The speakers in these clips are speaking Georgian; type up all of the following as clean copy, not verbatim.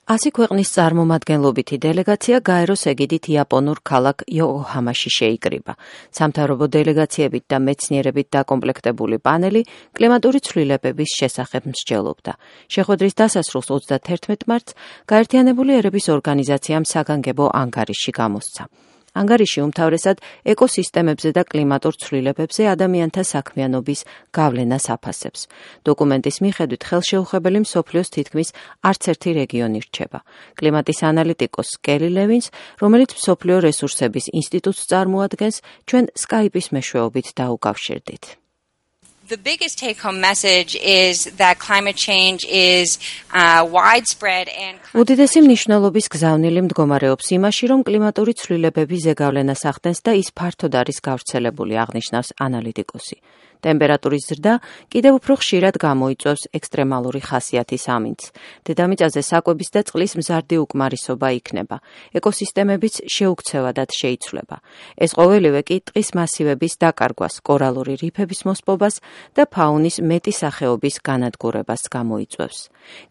100 ქვეყნის წარმომადგენლობითი დელეგაცია გაეროს ეგიდით იაპონურ ქალაქ იოკოჰამაში შეიკრიბა. სამთავრობო დელეგაციებით და მეცნიერებით დაკომპლექტებული პანელი კლიმატური ცვლილებების შესახებ მსჯელობდა. შეხვედრის დასასრულს 31 მარტს გაერთიანებული ერების ორგანიზაციამ საგანგებო ანგარიში გამოსცა. ანგარიში უმთავრესად ეკოსისტემებზე და კლიმატურ ცვლილებებზე ადამიანთა საქმიანობის გავლენას აფასებს. დოკუმენტის მიხედვით ხელშეუხებელი მსოფლიოს თითქმის არც ერთი რეგიონი რჩება. კლიმატის ანალიტიკოს კელი ლევინს, რომელიც მსოფლიო რესურსების ინსტიტუტს წარმოადგენს, ჩვენ სკაიპის მეშვეობით დაუკავშირდით. The biggest take-home message is that climate change is widespread and უდიდესი მნიშვნელობის გზავნილი მდგომარეობს იმაში, რომ კლიმატური ცვლილებები ზეგავლენას ახდენს და ის ფართოდ არის გავრცელებული, აღნიშნავს ანალიტიკოსი. ტემპერატურის ზრდა კიდევ უფრო ხშირად გამოიწვევს ექსტრემალური ხასიათის ამინდს. დედამიწაზე საკვების და წყლის მზარდი უკმარისობა იქნება. ეკოსისტემებიც შეუქცევადად შეიცვლება. ეს ყოველივე კი ტყის მასივების დაკარგვას, კორალური რიფების მოსპობას და ფაუნის მეტი სახეობის განადგურებას გამოიწვევს.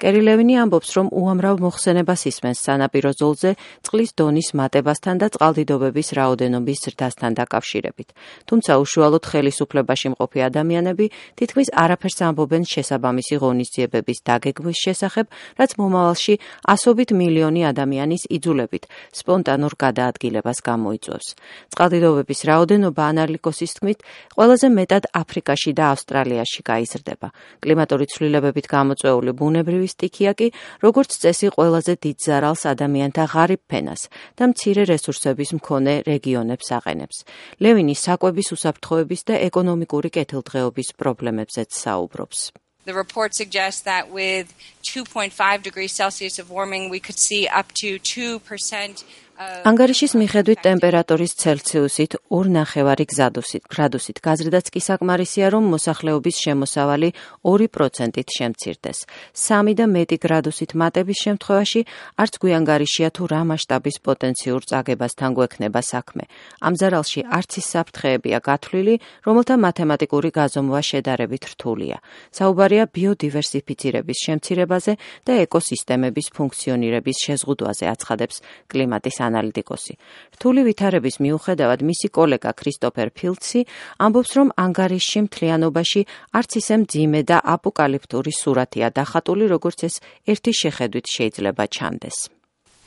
კერი ლევინი ამბობს, რომ უამრავ მოხსენებას ისმენს სანაპირო ზოლზე წყლის დონის მატებასთან და წყალდიდობების რაოდენობის ზრდასთან დაკავშირებით. თუმცა უშუალოდ ხელისუფლებაში მყოფი ადამიანები თითქმის არაფერს ამბობენ შესაბამისი ღონისძიებების დაგეგმვის შესახებ, რაც მომავალში ასობით მილიონი ადამიანის იძულებით სპონტანურ გადაადგილებას გამოიწვევს. წყალდიდობების რაოდენობა ანალიტიკოსის თქმით ყველაზე მეტად აფრიკაში და ავსტრალიაში გაიზრდება. კლიმატური ცვლილებებით გამოწვეული ბუნებრივი სტიქია კი, როგორც წესი, ყველაზე დიდ ზარალს ადამიანთა ღარიბ ფენას და მცირე რესურსების მქონე რეგიონებს აყენებს. ლევინი საკვების უსაფრთხოების და ეკონომიკური კეთილდღეობის პრობლემებზეც საუბრობს. The report suggests that with 2.5 degrees Celsius of warming we could see up to 2% ანგარიშის მიხედვით ტემპერატურის ცელსიუსით 2.5 გრადუსით გაზრდაც კი საკმარისია, რომ მოსახლეობის შემოსავალი 2%-ით შემცირდეს. 3 და მეტი გრადუსით მატების შემთხვევაში არც გვიანგარიშია თუ რა მასშტაბის პოტენციურ წაგებასთან გვექნება საქმე. ამ ზარალში არც ის საფრთხეებია გათვლილი, რომელთა მათემატიკური გაზომვა შედარებით რთულია. საუბარია ბიოდივერსიფიცირების შემცირებაზე და ეკოსისტემების ფუნქციონირების შეზღუდვაზე, აცხადებს კლიმატის ანალიტიკოსი. რთული ვითარების მიუხედავად მისი კოლეგა ქრისტოფერ ფილდსი ამბობს, რომ ანგარიშში მთლიანობაში არც ისე მძიმე და აპოკალიფტური სურათია დახატული, როგორც ეს ერთი შეხედვით შეიძლება ჩანდეს.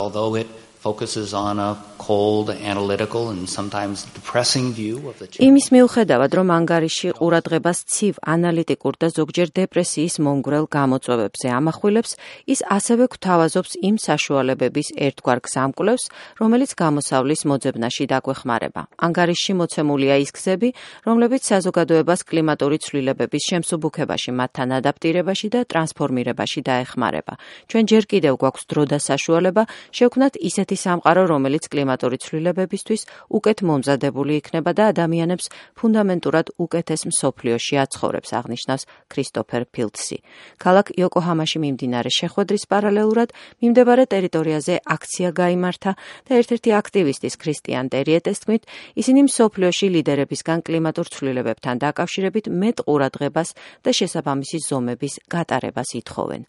Although it focuses on a cold, analytical and sometimes depressing view of the change. იმის მიუხედავად, რომ ანგარიში ყურადღებას ცივ, ანალიტიკურ და ზოგჯერ დეპრესიის მომგვრელ გამოწვევებზე ამახვილებს, ის ასევე გვთავაზობს იმ საშუალებების ერთგვარ გზამკვლევს, რომელიც გამოსავლის მოძებნაში დაგვეხმარება. ანგარიშში მოცემულია ის გზები, რომლებიც საზოგადოებას კლიმატური ცვლილებების შემსუბუქებაში, მათთან ადაპტირებაში და ტრანსფორმირებაში დაეხმარება. ჩვენ ჯერ კიდევ გვაქვს დრო და საშუალება შევქმნათ ისეთი სამყარო, რომელიც კლიმატური ცვლილებებისთვის უკეთ მომზადებული იქნება და ადამიანებს ფუნდამენტურად უკეთეს მსოფლიოში აცხოვრებს, აღნიშნავს ქრისტოფერ ფილდსი. ქალაქ იოკოჰამაში მიმდინარე შეხვედრის პარალელურად მიმდებარე ტერიტორიაზე აქცია გაიმართა და ერთ-ერთი აქტივისტის ქრისტიან ტერიეტეს თქმით, ისინი მსოფლიოში ლიდერებისგან კლიმატურ ცვლილებებთან დაკავშირებით მეტ ყურადღებას და შესაბამისი ზომების გატარებას ითხოვენ.